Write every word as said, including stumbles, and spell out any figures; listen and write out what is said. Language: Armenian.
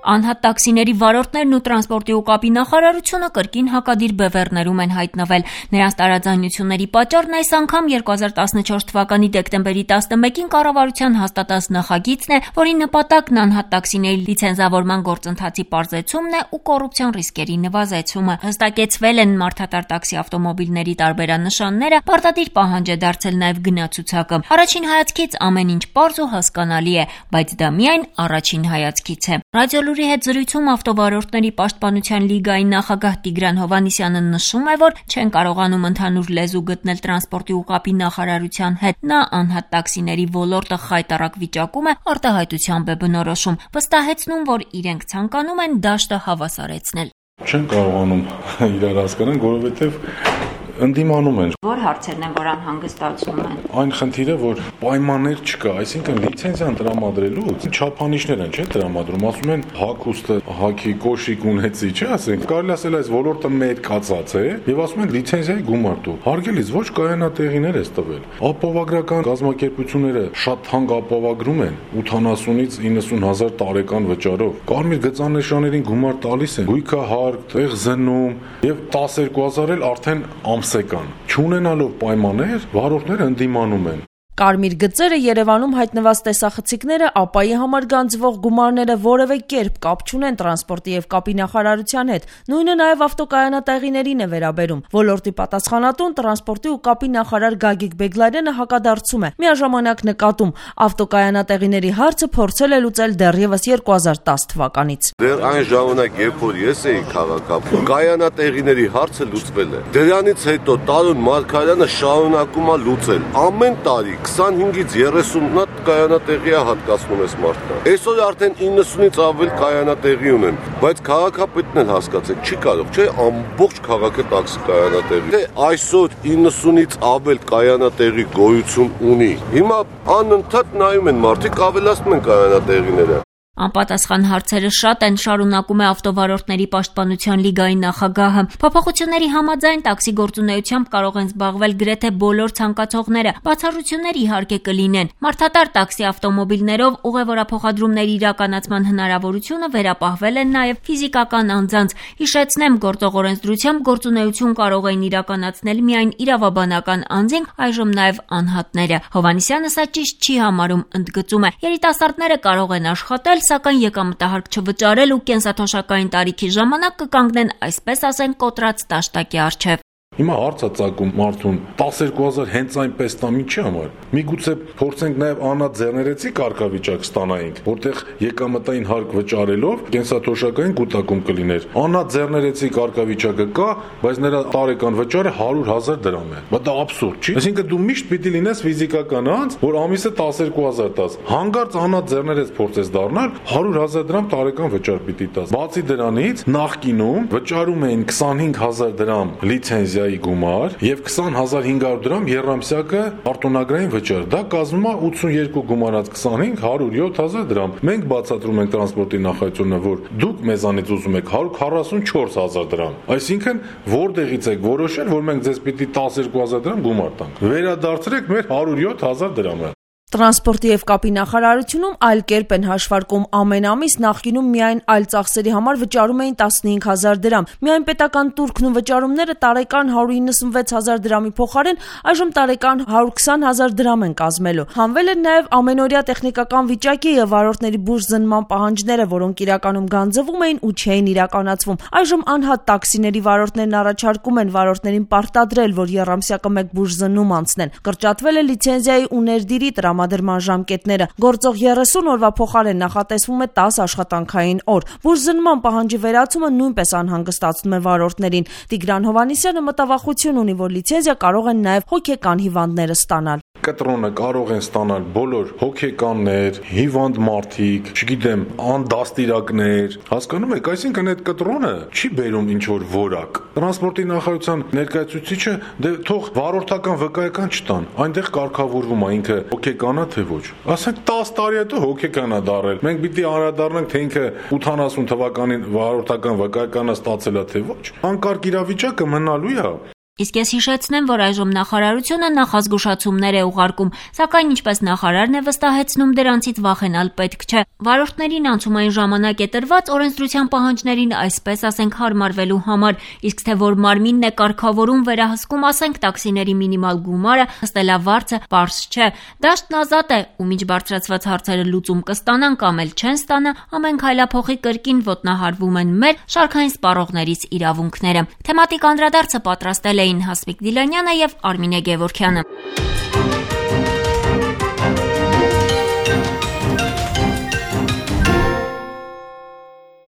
Անհատ տաքսիների վարորդներն ու տրանսպորտի ու կապի նախարարությունը կրկին հակադիր բևեռներում են հայտնվել։ Նրանց տարաձայնությունների պատճառն այս անգամ երկու հազար տասնչորս թվականի դեկտեմբերի տասնմեկին կառավարության հաստատած նախագիծն է, որի նպատակն անհատ տաքսիների լիցենզավորման գործընթացի պարզեցումն է ու կոռուպցիոն ռիսկերի նվազեցումը։ Հստակեցվել են մարդատար տաքսի ավտոմոբիլների տարբերանշանները, պարտադիր պահանջ է դարձել նաև գնացուցակը։ Առաջին հայացքից ամեն ինչ պարզ ու հասկանալի է, բայց դա միայն առաջին հայացքից է։ Ռադիոլուրի հետ զրույցում ավտովարորդների պաշտպանության լիգայի նախագահ Տիգրան Հովհաննիսյանը նշում է, որ չեն կարողանում ընդհանուր լեզու գտնել տրանսպորտի ու կապի նախարարության հետ։ Նա անհատ տաքսիների ոլորտը խայտառակ վիճակում է, արտահայտությամբ է բնորոշում, վստահեցնում, որ իրենք ցանկանում են դաշտը հավասարեցնել։ Չեն կարողանում իրար հասկանալ, որովհետև ընդդիմանում են։ Որ հարցերն են, որ անհանգստացնում են։ Այն խնդիրը, որ պայմաններ չկա, այսինքն լիցենզիան տրամադրելուց չափանիշներ են, չէ՞ տրամադրում, ասում են հագուստը, հագի կոշիկ ունեցի, չէ՞, ասենք, կարելի ասել այս ոլորտը մեծ կացած է, եւ ասում են լիցենզիայի գումար տու։ Հարգելից ոչ կայանատեղիներ է տվել։ Ապահովագրական կազմակերպությունները շատ թանկ ապահովագրում են ութանասունից իննսուն հազար տարեկան վճարով։ Կարմիր գծանշաններին գումար տալիս են, գույքը հարկ, տեղ զննում եւ տասներկու հազար էլ արդեն ամսեկան։ Չունենալով պայմաններ, վարորդները ընդդիմանում են։ Կարմիր գծերը Երևանում հայտնված տեսախցիկները ապայի համար գանձվող գումարները որևէ կերպ կապ չունեն տրանսպորտի եւ կապի նախարարության հետ։ Նույնը նաեւ ավտոկայանատեղիներին է վերաբերում։ Ոլորտի պատասխանատուն տրանսպորտի ու կապի նախարար Գագիկ Բեգլարյանը հակադարձում է։ Միաժամանակ նկատում, ավտոկայանատեղիների հարցը փորձել է լուծել դեռևս երկու հազար տասը թվականից։ Դեռ այն ժամանակ, երբ որ ես էի քաղաքապետ, կայանատեղիների հարցը լուծվել է։ Դրանից հետո Տարոն Մարգարյանը շարունակում է լուծել։ Ամեն տարի քսանհինգից երեսուն հատ կայանատեղի է հատկացնում ես մարդկանց։ Այսօր արդեն իննսունից ավել կայանատեղի ունեն, բայց քաղաքապետն էլ հասկացեք, չի կարող, չէ, ամբողջ քաղաքը տաքսի կայանատեղի։ Դե այսօր իննսունից ավել կայանատեղի գոյություն ունի։ Հիմա անընդհատ նայում են մարդիկ, ավելացնում են կայանատեղիները։ Անպատասխան հարցերը շատ են, շարունակում է ավտովարորդների պաշտպանության լիգայի նախագահը։ Փոփոխությունների համաձայն տաքսի գործունեությամբ կարող են զբաղվել գրեթե բոլոր ցանկացողները։ Բացառություններ իհարկե կլինեն։ Մարդատար տաքսի ավտոմոբիլներով ուղևորափոխադրումների իրականացման հնարավորությունը վերապահվել է նաև ֆիզիկական անձանց։ Հիշեցնեմ, գործող օրենսդրությամբ գործունեություն կարող էին իրականացնել միայն իրավաբանական անձինք, այժմ նաև անհատները։ Հովհաննիսյանը սա ճիշտ չի համարում, ընդգծում է. երիտասարդները կարող են աշխատել, սակայն եկամտահարկ չվճարել ու կենսաթոշակային տարիքի ժամանակ կկանգնեն, այսպես ասենք, կոտրած դաշտակի առջև։ Հիմա հարց է ծագում մարդուն տասներկու հազար հենց այնպես տամ ինչի համար։ Միգուցե փորձենք նաև անհատ ձեռներեցի կարգավիճակ ստանայինք, որտեղ եկամտային հարկ վճարելով կենսաթոշակային կուտակում կլիներ։ Անհատ ձեռներեցի կարգավիճակը կա, բայց նրա տարեկան վճարը հարյուր հազար դրամ է։ Բայց դա աբսուրդ չի։ Այսինքն դու միշտ պիտի լինես ֆիզիկական անձ, որ ամիսը տասներկու հազար տաս։ Հանկարծ անհատ ձեռներեց փորձես դառնալ, հարյուր հազար դրամ տարեկան վճար պիտի տաս։ Բացի դրանից, նախկինում վճարում էին քսանհինգ հազար դրամ լիցենզիա գումար եւ քսան հազար հինգ հարյուր դրամ եռամսյակը արտոնագրային վճար։ Դա կազմում է ութսունյերկու գումարած քսանհինգ հարյուր յոթ հազար դրամ։ Մենք բացատրում ենք տրանսպորտի նախարարությունը, որ դուք մեզանից ուզում եք հարյուր քառասունչորս հազար դրամ։ Այսինքն որտեղից եք որոշել, որ մենք ձեզ պիտի տասներկու հազար դրամ գումար տանք։ Վերադարձրեք մեր հարյուր յոթ հազար դրամը։ Տրանսպորտի եւ կապի նախարարությունում այլ կերպ են հաշվարկում ամեն ամիս նախկինում միայն այլ ծախսերի համար վճարում էին տասնհինգ հազար դրամ։ Միայն պետական տուրքն ու վճարումները տարեկան հարյուր իննսունվեց հազար դրամի փոխարեն այժմ տարեկան հարյուր քսան հազար դրամ են կազմելու։ Հանվել են նաեւ ամենօրյա տեխնիկական վիճակի եւ վարորդների բուժ զննման պահանջները, որոնք իրականում գանձվում էին ու չէին իրականացվում։ Այժմ անհատ տաքսիների վարորդներն առաջարկում են վարորդներին պարտադրել, որ եռամսյակը մեկ բուժ զննում անցնեն։ Կրճատվել է լիցենզիայի ու ներդիրի տրամադրման ժամկետները։ Գործող երեսուն օրվա փոխարեն նախատեսվում է տասը աշխատանքային օր։ Բուժզննման պահանջի վերացումը նույնպես անհանգստացնում է վարորդներին։ Տիգրան Հովհաննիսյանը մտավախություն ունի, որ լիցենզիա կարող են նաև հոգեկան հիվանդները ստանալ։ Կտրոնը կարող են ստանալ բոլոր հոգեկաններ, հիվանդ մարդիկ, չգիտեմ, անդաստիրակներ, հասկանում եք, այսինքն այդ կտրոնը չի բերում ինչ որ որակ։ Տրանսպորտի նախարարության ներկայացուցիչը դե թող վարորդական վկայական չտան, այնտեղ կարգավորվում է ինքը հոգեկան է թե ոչ։ Ասենք տասը տարի հետո հոգեկան է դարել։ Մենք պիտի անդրադառնանք, թե ինքը ութանասուն թվականին վարորդական վկայականը ստացել է թե ոչ։ Անկարգ իրավիճակը մնալու է։ Իսկ ես հիշեցնեմ, որ այժմ նախարարությունը նախազգուշացումներ է ուղարկում, սակայն ինչպես նախարարն է վստահեցնում, դրանցից վախենալ պետք չէ։ Վարորդներին անցումային ժամանակ է տրված օրենսդրության պահանջներին այսպես ասենք հարմարվելու համար, իսկ թե որ մարմինն է կարգավորում վերահսկում ասենք տաքսիների մինիմալ գումարը, հստելավարձը պարզ չէ։ Դաշտն ազատ է, ու մինչ բարձրացված հարցերը լուծում կստանան կամ էլ չեն ստանա, ամեն քայլափոխի կրկին ոտնահարվում են մեր շարքային սպառողներիս իրավունքները։ Թեմատիկ անդրադարձը պատրաստել էին Հասմիկ Դիլանյանը եւ Արմինե Գևորգյանը։